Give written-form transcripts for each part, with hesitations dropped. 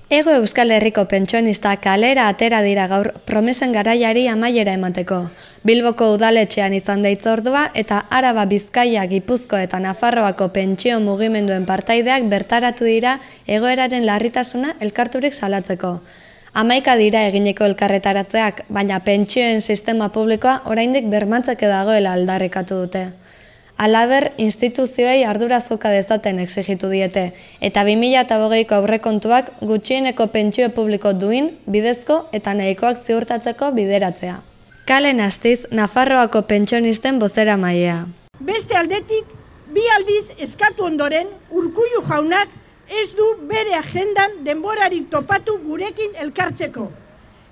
Hego Euskal Herriko pentsionista kalera atera dira gaur promesen garaiari amaiera emateko. Bilboko udaletxean izan da hitzordua eta Araba, Bizkaia, Gipuzko eta Nafarroako pentsio mugimenduen partaideak bertaratu dira egoeraren larritasuna elkarturik salatzeko. 11 dira egineko elkarretaratzeak, baina pentsioen sistema publikoa oraindik bermatzeke dagoela aldarrikatu dute. Halaber, instituzioei ardura joka dezaten exigitu diete, eta 2020ko aurrekontuak gutxieneko pentsio publiko duin, bidezko eta nahikoak ziurtatzeko bideratzea. Kalen Astiz, Nafarroako pentsionisten bozeramailea. Beste aldetik, bi aldiz eskatu ondoren, Urkullu jaunak ez du bere agendan denborarik topatu gurekin elkartzeko.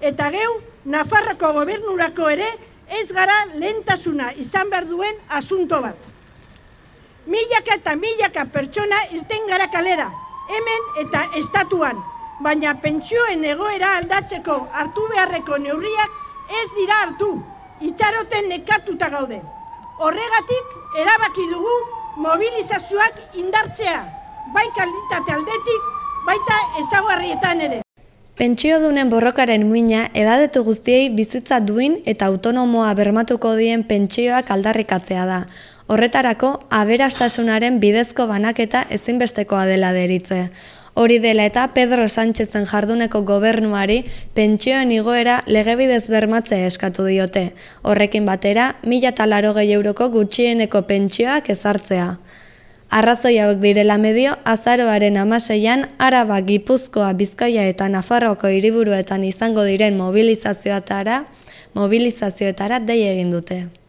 Eta geu, Nafarroko gobernurako ere ez gara lehentasuna izan behar duen asunto bat. Milaka eta milaka pertsona irten gara kalera, hemen eta estatuan, baina pentsioen egoera aldatzeko hartu beharreko neurriak ez dira hartu, itxaroten nekatuta gaude. Horregatik erabaki dugu mobilizazioak indartzea, bai kalitatea aldetik, baita ezaugarrietan ere. Pentsiodunen borrokaren muina edadetu guztiei bizitza duin eta autonomoa bermatuko dien pentsioak aldarrikatzea da. Horretarako, aberastasunaren bidezko banaketa ezinbestekoa dela deritze. Hori dela eta Pedro Sánchezen jarduneko gobernuari pentsioen igoera legebidez bermatzea eskatu diote. Horrekin batera, 1.080 euroko gutxieneko pentsioak ezartzea. Arrazoi hauek direla medio, azaroaren 16an Araba, Gipuzkoa, Bizkaia eta Nafarroako hiriburuetan izango diren mobilizazioetara dei egin dute.